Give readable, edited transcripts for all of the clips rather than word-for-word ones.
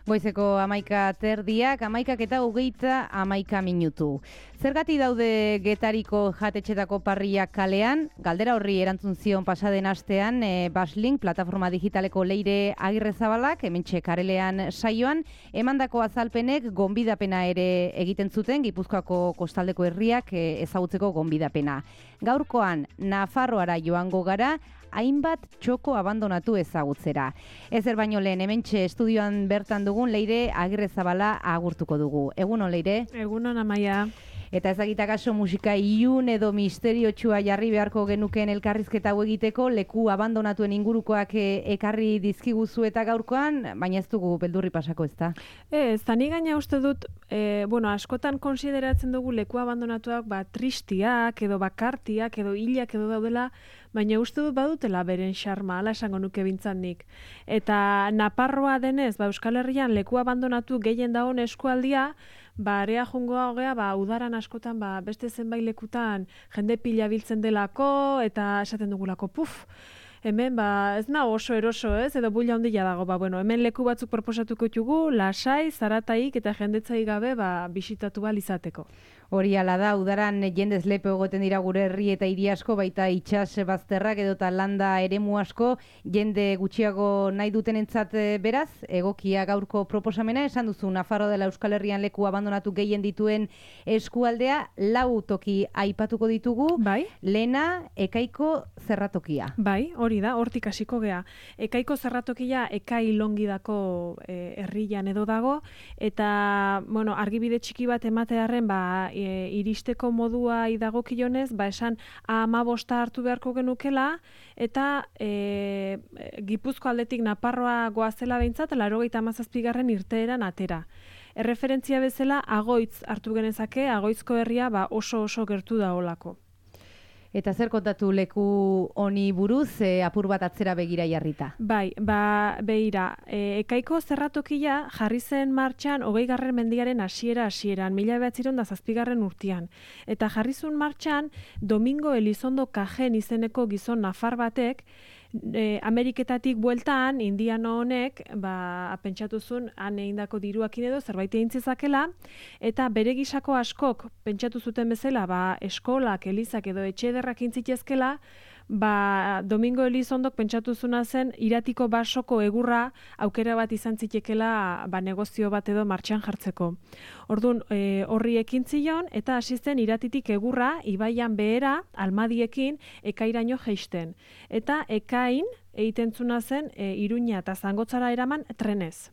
Goizeko 11:00, 11:30 Zergati daude Getariko jatetxetako parriak kalean? Galdera horri erantzun zion pasaden astean Baslink plataforma digitaleko Leire Agirrezabalak, hementxe Karelean saioan, emandako azalpenek gonbidapena ere egiten zuten Gipuzkoako kostaldeko herriak ezagutzeko gonbidapena. Gaurkoan Nafarroara joango gara, hainbat txoko abandonatu ezagutzera. Ezer baino lehen hementxe estudioan bertan dugun Leire Agirrezabala agurtuko dugu. Egunon, Leire? Egunon, Amaia. Eta ezagitakaso musika ilun edo misteriotsua jarri beharko genuken elkarrizketa hau egiteko, leku abandonatuen ingurukoak ekarri dizkiguzu eta gaurkoan, baina ez dugu beldurri pasako, ezta? Ez, ni gaina uste dut, askotan konsideratzen dugu leku abandonatuak tristiak edo bakartiak edo hilak edo daudela, baina uste dut badutela beren xarma, ala esango nuke bintzat nik. Eta Naparroa denez, Euskal Herrian leku abandonatu gehien dagoen eskualdia, area jungoa hogea, udaran askotan, beste zenbait lekutan jende pila biltzen delako, eta esaten dugulako, hemen, ez nago oso eroso, ez, edo buila handia dago, hemen leku batzuk proposatuko ditugu, lasai, zarataik eta jendetzai gabe, bisitatu izateko. Hori ala da, udaran jendez lepe egoten dira gure herri eta hiri asko, baita itsas bazterrak edota landa eremu asko, jende gutxiago nahi dutenentzat beraz, egokia gaurko proposamena, esan duzu Nafarroa dela Euskal Herrian leku abandonatu gehien dituen eskualdea, 4 toki aipatuko ditugu, lehena Ekaiko zerratokia. Hori da, hortik hasiko gea. Ekaiko zerratokia Ekai Longidako herrian edo dago, eta, argibide txiki bat ematearren, iristeko modua idagokionez, esan 15 hartu beharko genukela, eta Gipuzko aldetik Naparroa goazela behintzat, 97. irteeran atera. Erreferentzia bezala, Agoitz hartu genezake, Agoitzko herria oso gertu da olako. Eta zer kontatu leku honi buruz, apur bat atzera begira jarrita? Begira, Ekaiko zerratokia jarri zen martxan 20. mendiaren hasieran, 1907 urtean. Eta jarri zuen martxan Domingo Elizondo Kajen izeneko gizon nafar batek, Ameriketatik bueltan, indiano honek, pentsatu zuen, han egindako diruakin edo zerbait egin zezakela, eta bere gisako askok pentsatu zuten bezala, eskolak, elizak edo etxe ederrak intzitezkela, Domingo Elizondok pentsatu zuna zen Iratiko basoko egurra aukera bat izan zitekela negozio bat edo martxan jartzeko. Orduan, horri ekin zion, eta hasi zen Iratitik egurra, ibaian behera, almadiekin, Ekairaino jeisten. Eta Ekain egiten zuna zen Iruña eta Zangotzara eraman trenez.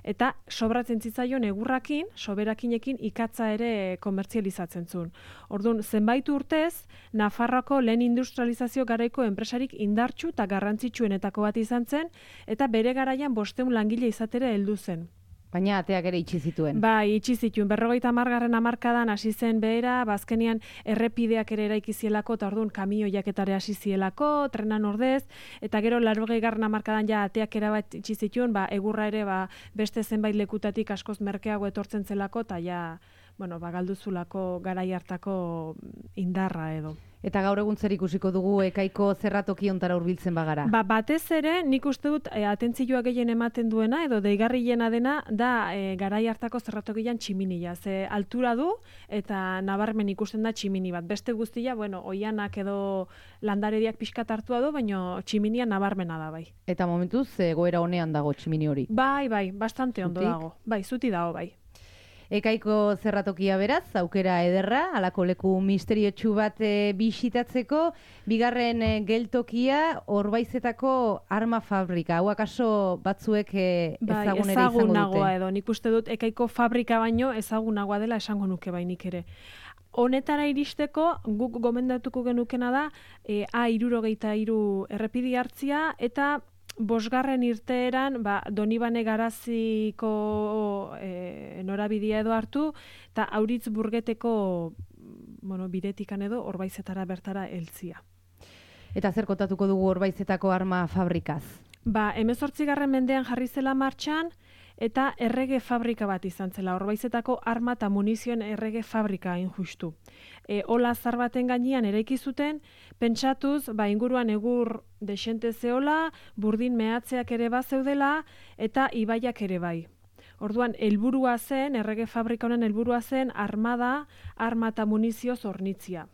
Eta sobratzen zitzaion egurrakin, soberakinekin ikatza ere komertzializatzen zuen. Orduan, zenbait urtez, Nafarroako lehen industrializazio garaiko enpresarik indartsu eta garrantzitsuenetako bat izan zen, eta bere garaian 500 langile izatera heldu zen. Baina ateak ere itxi zituen. Itxi zituen. 50. hamarkadan hasi zen behera, azkenean errepideak ere eraiki zielako, eta orduan kamioiak etare hasi zielako, trenan ordez, eta gero 80. hamarkadan ateak erabat itxi zituen, egurra ere beste zenbait lekutatik askoz merkeago etortzen zelako, eta galduzulako garai hartako indarra edo. Eta gaur egun zer ikusiko dugu Ekaiko zerratoki ontara hurbiltzen bagara? Batez ere, nik uste dut atentzioa gehien ematen duena, edo deigarriena dena, da garai hartako zerratokian tximinia. Ze altura du, eta nabarmen ikusten da tximini bat. Beste guztia, oianak edo landarediak pixkat hartua du, baina tximinia nabarmena da, bai. Eta momentuz, egoera honean dago tximini hori? Bastante ondo dago. Zuti dago, bai. Ekaiko zerratokia beraz, aukera ederra, halako leku misteriotsu bat bisitatzeko, bigarren geltokia Orbaizetako arma fabrika. Hau akaso batzuek ezagun ere izango dute? Ezagunagoa edo, nik uste dut Ekaiko fabrika baino ezagunagoa dela esango nuke bainik ere. Honetara iristeko, guk gomendatuko genukena da, A63 errepide hartzia, eta 5. irteeran Donibane Garaziko norabidea edo hartu, eta Auritzburgeteko bidetikan edo Orbaizetara bertara heltzia. Eta zer kontatuko dugu Orbaizetako arma fabrikaz? 18. mendean jarri zela martxan, eta errege fabrika bat izan zela, Orbaizetako arma eta munizioen errege fabrika hain justu. Ola zar baten gainean eraiki zuten, pentsatuz, inguruan egur desente zeola, burdin mehatzeak ere bazeudela, eta ibaiak ere bai. Orduan, helburua zen, errege fabrika honen helburua zen, arma eta munizioz hornitzia.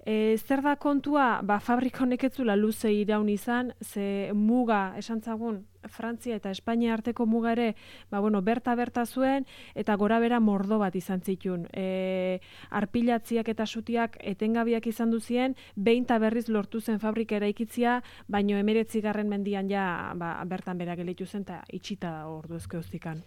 Zer da kontua, fabrika honek ez zuela luze iraun izan, ze muga, esan zagun, Frantzia eta Espainia arteko muga ere, berta zuen, eta gora bera mordo bat izan zituen. Arpilatziak eta sutiak etengabiak izan duzien, behin eta berriz lortu zen fabrika eraikitzia, baino 19. mendian ja bertan bera gelitu zen, eta itxita ordu ezkeuztikan.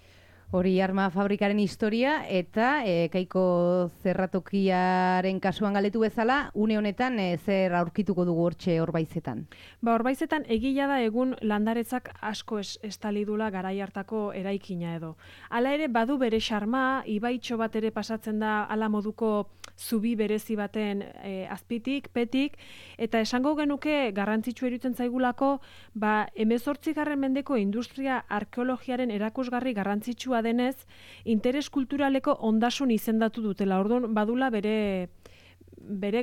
Hori arma fabrikaren historia eta Ekaiko zerratokiaren kasuan galdetu bezala, une honetan zer aurkituko dugu hortxe Orbaizetan? Orbaizetan egia da egun landaretzak asko estali dula garai hartako eraikina edo. Hala ere badu bere xarma, ibaitxo bat ere pasatzen da hala moduko zubi berezi baten azpitik, petik, eta esango genuke garrantzitsu iruditzen zaigulako, 18. mendeko industria arkeologiaren erakusgarri garrantzitsua denez, interes kulturaleko ondasun izendatu dutela. Orduan, badula bere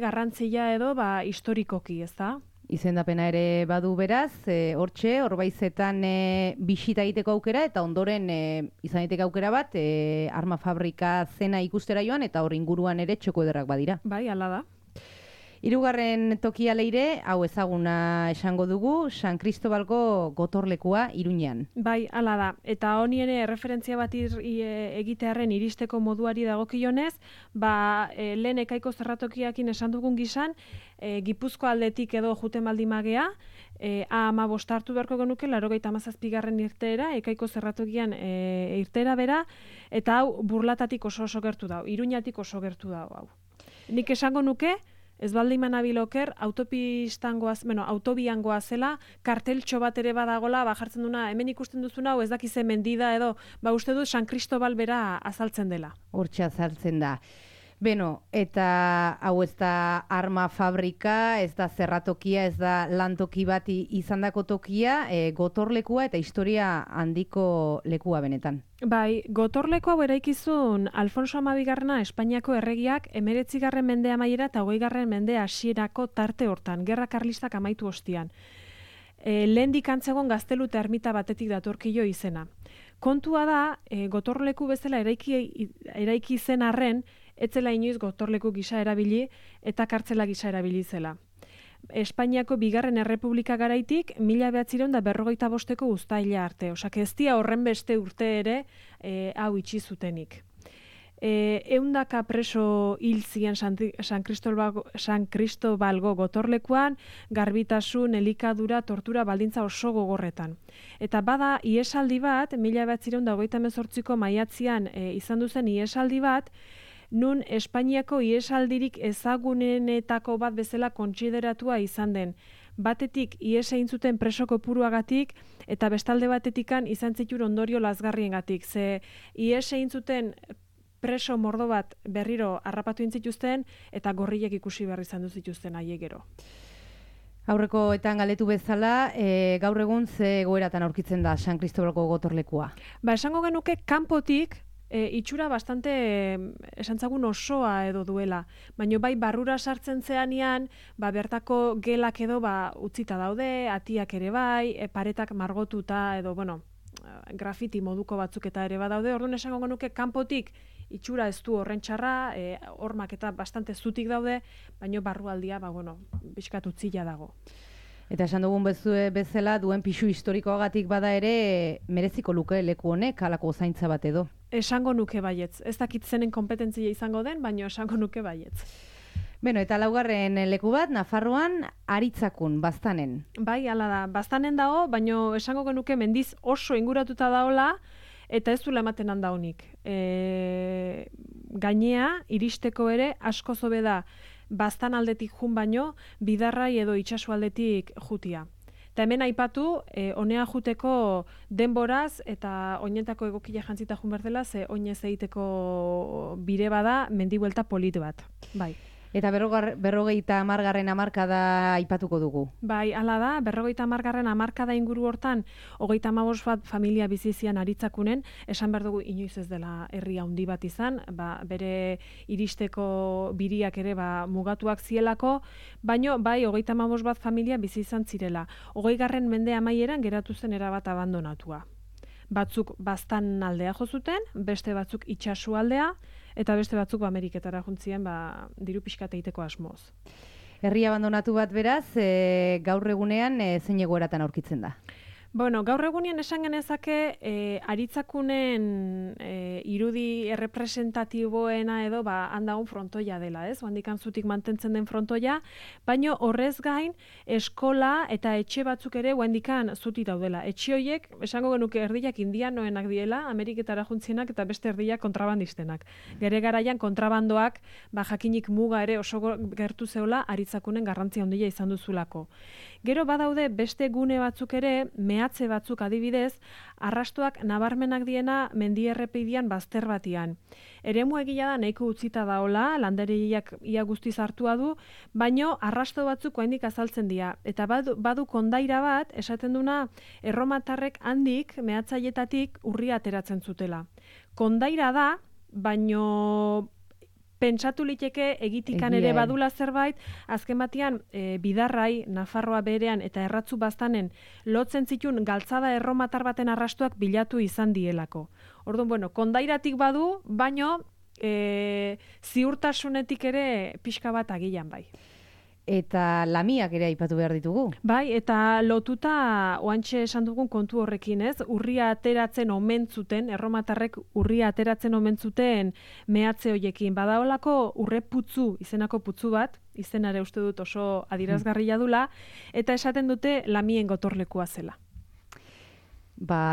garrantzia edo historikoki, ez da? Izendapena ere badu beraz, hortxe, Orbaizetan bisita egiteko aukera, eta ondoren izan egiteko aukera bat, arma fabrika zena ikustera joan, eta hor inguruan ere txoko ederrak badira. Bai, hala da. Hirugarren tokia leire, hau ezaguna esango dugu, San Cristobalgo gotorlekua Iruñean. Bai, hala da. Eta honi ere referentzia bat egitearren iristeko moduari dagokionez, lehen Ekaiko zerratokiakin esan dugun gizan, Gipuzko aldetik edo juten baldimagea, A15 hartu beharko genuke, 97. irteera, Ekaiko zerratokian irteera bera, eta hau Burlatatik oso gertu dau, Iruñatik oso gertu dau hau. Nik esango nuke, ez baldin manabiloker, autobian goazela, karteltxo bat ere badagola, jartzen duna, hemen ikusten duzuna, ez dakize mendida edo, uste du San Cristobal bera azaltzen dela. Hortxe azaltzen da. Beno, eta hau ez da arma fabrika, ez da zerratokia, ez da lantoki bat izandako tokia, gotorlekua eta historia handiko lekua benetan. Bai, gotorleku hau eraikizun Alfonso XII Espainiako erregiak 19. mende amaiera eta 20. mende hasierako tarte hortan, gerra karlistak amaitu ostian. Lehendik antzegon gaztelu eta ermita batetik datorkio izena. Kontua da, gotorleku bezala eraiki zen arren, etzela inoiz gotorleku gisa erabili eta kartzela gisa erabili zela. Espainiako bigarren errepublika garaitik 1945 uztaila arte. Osak ez dia horren beste urte ere hau itxi zutenik. 100 preso hil ziren San Cristobalgo gotorlekuan, garbitasun, elikadura, tortura baldintza oso gogorretan. Eta bada iesaldi bat, 1928ko maiatzean izan duzen iesaldi bat, nun Espainiako iesaldirik ezagunenetako bat bezala kontsideratua izan den. Batetik ies egin zuten preso kopuruagatik eta bestalde batetikan izan zituen ondorio lazgarriengatik. Ze ies egin zuten preso mordo bat berriro harrapatu intzituzten eta gorriek ikusi behar izan duzituzten aiegero. Aurrekoetan galdetu bezala, gaur egun ze egoeratan aurkitzen da San Cristobalgo gotorlekua? Esango genuke kanpotik itxura bastante esantzagun osoa edo duela. Baina bai barrura sartzen zeanean, bertako gelak edo utzita daude, atiak ere bai, paretak margotuta edo, grafiti moduko batzuk eta ere badaude. Orduan esango genuke kanpotik itxura ez du horren txarra, hormak eta bastante zutik daude, baina barrualdia, bizkat utzila dago. Eta esan dugun bezala duen pixu historikoagatik bada ere mereziko luke leku honek halako zaintza bat edo. Esango nuke baietz. Ez dakit zenen kompetentzia izango den, baina esango nuke baietz. Beno, eta laugarren leku bat, Nafarroan, Aritzakun, Baztanen. Bai, hala da. Baztanen dago, baina esango genuke mendiz oso inguratuta daola, eta ez duela ematen handa honik. Gainea, iristeko ere, asko zobe da, Baztan aldetik jun baino, bidarrai edo itsaso aldetik jutia. Eta hemen aipatu, honea juteko denboraz eta oinetako egokila jantzita jun berdela, ze oinez egiteko bire bada mendibuelta polit bat. Bai. Eta 50. hamarkada aipatuko dugu. Bai, hala da, 50. hamarkada inguru hortan, 35 bat familia bizizian Aritzakunen, esan behar dugu inoiz ez dela herri handi bat izan, bere iristeko biriak ere mugatuak zielako, baino bai 35 bat familia bizi izan zirela. 20. mende amaieran geratu zen erabat abandonatua. batzuk baztan aldea jo zuten, beste batzuk itsasu aldea, eta beste batzuk Ameriketara juntzien diru pixka egiteko asmoz. Herri abandonatu bat beraz, gaur egunean zein egoeratan aurkitzen da? Bueno, gaur egunean esan genezake aritzakunen irudi errepresentatiboena edo handagun frontoia dela, ez? Handikan zutik mantentzen den frontoia, baino horrez gain eskola eta etxe batzuk ere handikan zuti daudela. Etxe horiek, esango genuke erdiak indianoenak diela, Ameriketara juntzienak eta beste erdiak kontrabandistenak. Gere garaian kontrabandoak jakinik muga ere oso gertu zeola aritzakunen garrantzia handia izan duzulako. Gero badaude beste gune batzuk ere, mehatze batzuk adibidez, arrastoak nabarmenak diena mendierrepidean bazter batian. Eremu egia da nahiko utzita daola, landeriak ia guztiz hartua du, baino arrasto batzuk oraindik azaltzen dira. Eta badu kondaira bat, esaten duna, erromatarrek handik, mehatzaietatik urria ateratzen zutela. Kondaira da, baino pentsatu liteke egitikan ere badula zerbait, azken batean Bidarrai, Nafarroa berean eta Erratzu baztanen lotzen zitun galtzada erromatar baten arrastuak bilatu izan dielako. Orduan, kondairatik badu, baino ziurtasunetik ere pixka bat agian bai. Eta lamiak ere aipatu behar ditugu. Bai, eta lotuta oantxe esan dugun kontu horrekin, ez? Urria ateratzen omen zuten, erromatarrek urria ateratzen omen zuten mehatze hoiekin. Badaolako urreputzu, izenako putzu bat, izenare uste dut oso adierazgarria dula, eta esaten dute lamien gotorlekua zela.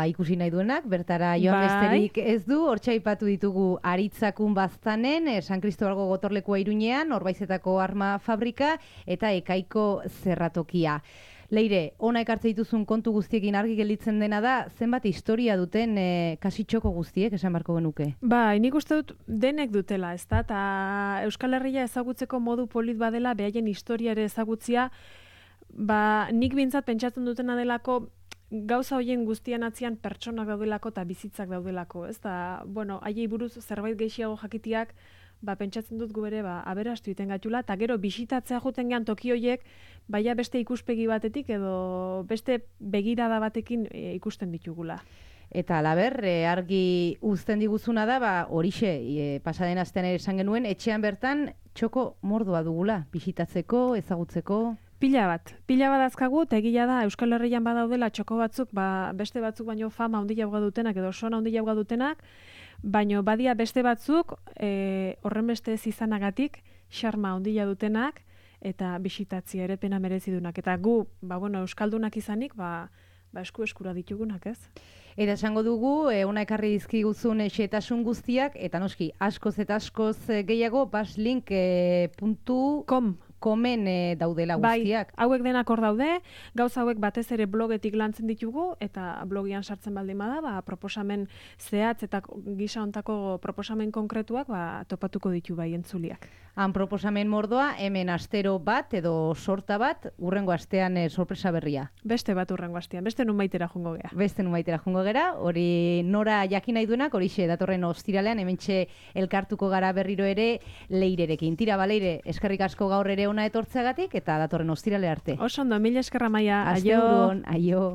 Ikusi nahi duenak, bertara joan besterik ez du, hortxe aipatu ditugu Aritzakun baztanen, San Kristobalgo gotorlekua Iruñean, Orbaizetako arma fabrika eta Ekaiko zerratokia. Leire, ona ekartze dituzun kontu guztiekin argi gelditzen dena da, zenbat historia duten kasitxoko guztiek, esan barko genuke? Nik uste dut denek dutela, ez da, eta Euskal Herria ezagutzeko modu polit badela, behaien historia ere ezagutzia, nik bintzat pentsatzen dutena delako, gauza hoien guztian atzian pertsonak daudelako eta bizitzak daudelako, ez da, haiei buruz zerbait gehiago jakitiak, pentsatzen dut gu ere, aberastu iten gatula, eta gero bisitatzea juten gehan toki hoiek, baina beste ikuspegi batetik edo beste begirada batekin ikusten ditugula. Eta alaber, argi uzten diguzuna da, horixe, pasaden astean ere esan genuen, etxean bertan txoko mordua dugula, bisitatzeko, ezagutzeko... Pila bat azkagu, eta egia da Euskal Herrian badaudela txoko batzuk, beste batzuk baino fama handia dutenak edo sona handia dutenak, baino badia beste batzuk horren beste ez izanagatik xarma handia dutenak eta bisitatzia ere pena merezidunak. Eta gu, Euskaldunak izanik, eskura ditugunak, ez? Eta esango dugu, ona ekarri dizkiguzun xehetasun guztiak, eta noski, askoz eta askoz gehiago, baslink.com komen daudela guztiak. Bai, hauek denak hor daude, gauza hauek batez ere blogetik lantzen ditugu, eta blogian sartzen baldin bada, proposamen zehatz eta gisa hontako proposamen konkretuak topatuko ditu bai entzuliak. Han proposamen mordoa, hemen astero bat edo sorta bat, urrengo astean sorpresa berria. Beste bat urrengo astean, beste nunbaitera jungo gea. Beste nunbaitera jungo gera, hori nora jakin nahi duenak, horixe datorren ostiralean, hementxe elkartuko gara berriro ere Leirerekin. Tira, Leire, eskerrik asko gaur ere ona etortzeagatik eta datorren ostirale arte. Oso ondo, mila eskerra Maia. Aste buruan, aio.